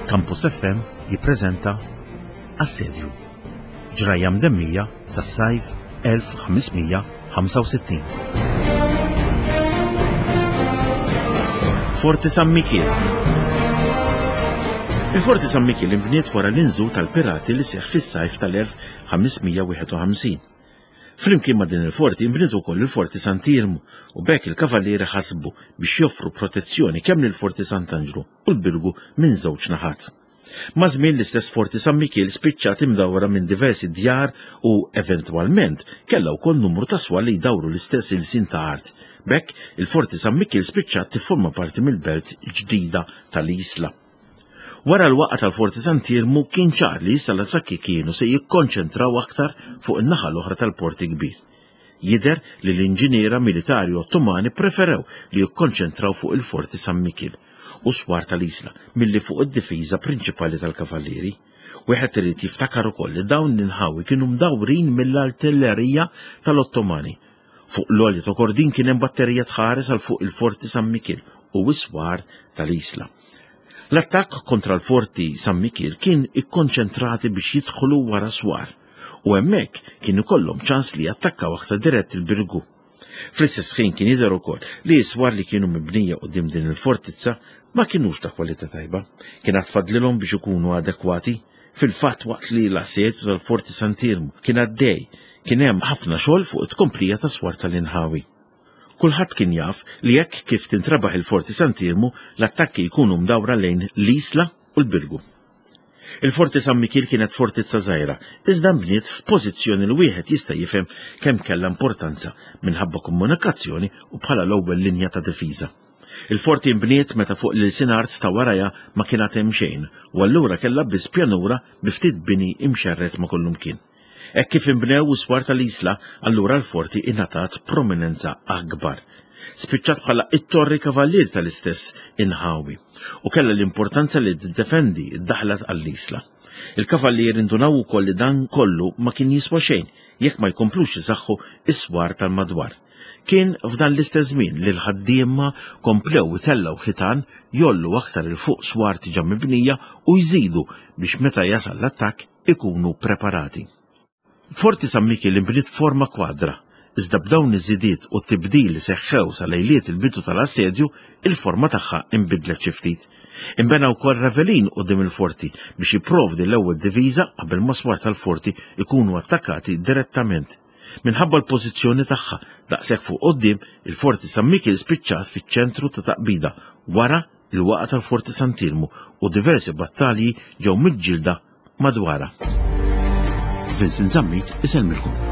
Campus FM jippreżenta Assedju. Ġrajja mdemmija tas-sajf 1565. Forti San Mikiel. Il-Forti San Mikiel inbniet wara l-inżul tal-pirati li seħħ fis-sajf tal-1551. Flimkien ma' din il-forti nbniet ukoll il-Forti Sant'Iermu u b'hekk il-Kavallieri ħasbu biex joffru protezzjoni kemm lill-Forti Sant'Anġlu u l-Birgu minn żewġ naħat. Maż-żmien l-istess Forti San Mikiel spiċċat imdawra minn diversi djar u eventwalment kellha wkoll numru ta' swar li jdawru l-istess ilsien ta' art. B'hekk il-Forti San Mikiel spiċċat tifforma parti mill-belt ġdida tal-Isla. Wara l-waqgħa tal-Forti Sant'Iermu kien ċar li issa l-attakki kienu se jikkonċentraw aktar fuq in-naħa l-oħra tal-Port il-Kbir. Jidher li l-inġiniera militari Ottomani ppreferew li jikkonċentraw fuq il-Forti San Mikiel u s-swar tal-Isla milli fuq id-difiża prinċipali tal-Kavallieri. Wieħed irid jiftakar ukoll li dawn l-inħawi kienu mdawrin mill-artillerija tal-Ottomani. Fuq l-għolja ta' Kordin kien hemm batterija tħares għal fuq il-Forti San Mikiel u s-swar tal-Isla. L-attakk kontra l-Forti San Mikiel kien ikkonċentrati biex jidħlu wara swar u hemmhekk kien ikollhom ċans li jattakkaw aktar dirett il-Birgu. Fl-istess ħin kien jidher ukoll li s-swar li kienu mibnija quddiem din il-fortizza ma kinux ta' kwalità tajba. Kien għad fadlilhom biex ikunu adekwati. Fil-fatt waqt li l-assedju tal-Forti Sant'Iermu kien għaddej, kien hemm ħafna xogħol fuq it-tkomplija tas-swar tal-inħawi. Kulħadd kien jaf li hekk kif tintrebaħ il-Forti Sant'Iermu, l-attakki jkunu mdawra lejn l-Isla u l-Birgu. Il-Forti San Mikiel kienet fortizza żgħira, iżda nbniet f'pożizzjoni li wieħed jista' jifhem kemm kellha importanza minħabba komunikazzjoni u bħala l-ewwel linja ta' difiża. Il-forti nbniet meta fuq l-ilsien art ta' warajha ma kien għad hemm xejn u allura kellha biss pjanura bi ftit bini imxerred ma' kullumkien. Hekk kif inbnew is-swar tal-Isla, allura l-forti ingħatat prominenza akbar. Spiċċat bħala it-torri kavallier tal-istess inħawi u kellha l-importanza li tiddefendi d-daħla għall-Isla. Il-kavallieri ndunaw ukoll li dan kollu ma kien jiswa xejn jekk ma jkomplux isaħħu is-swar tal-madwar. Kien f'dan l-istess żmien li l-ħaddiema komplew itellgħu ħitan, jgħollu aktar 'il fuq swar diġà mibnija u jżidu biex meta jasal l-attakk ikunu preparati. Forti San Mikiel inbniet f'forma kwadra, iżda b'dawn iż-żidiet u t-tibdil li seħħew sa lejliet il-bidu tal-assedju, il-forma tagħha inbidlet xi ftit. Inbena wkoll ravelin quddiem il-forti biex jipprovdi l-ewwel diviża qabel ma swar tal-forti jkunu attakkati direttament. Minħabba l-pożizzjoni tagħha daqshekk fuq quddiem, il-Forti San Mikiel spiċċat fiċ-ċentru ta' taqbida wara il-waqgħa tal-Forti Sant'Iermu u diversi battalji ġew miġġielda madwarha. Vincent Zammit isellmilkom.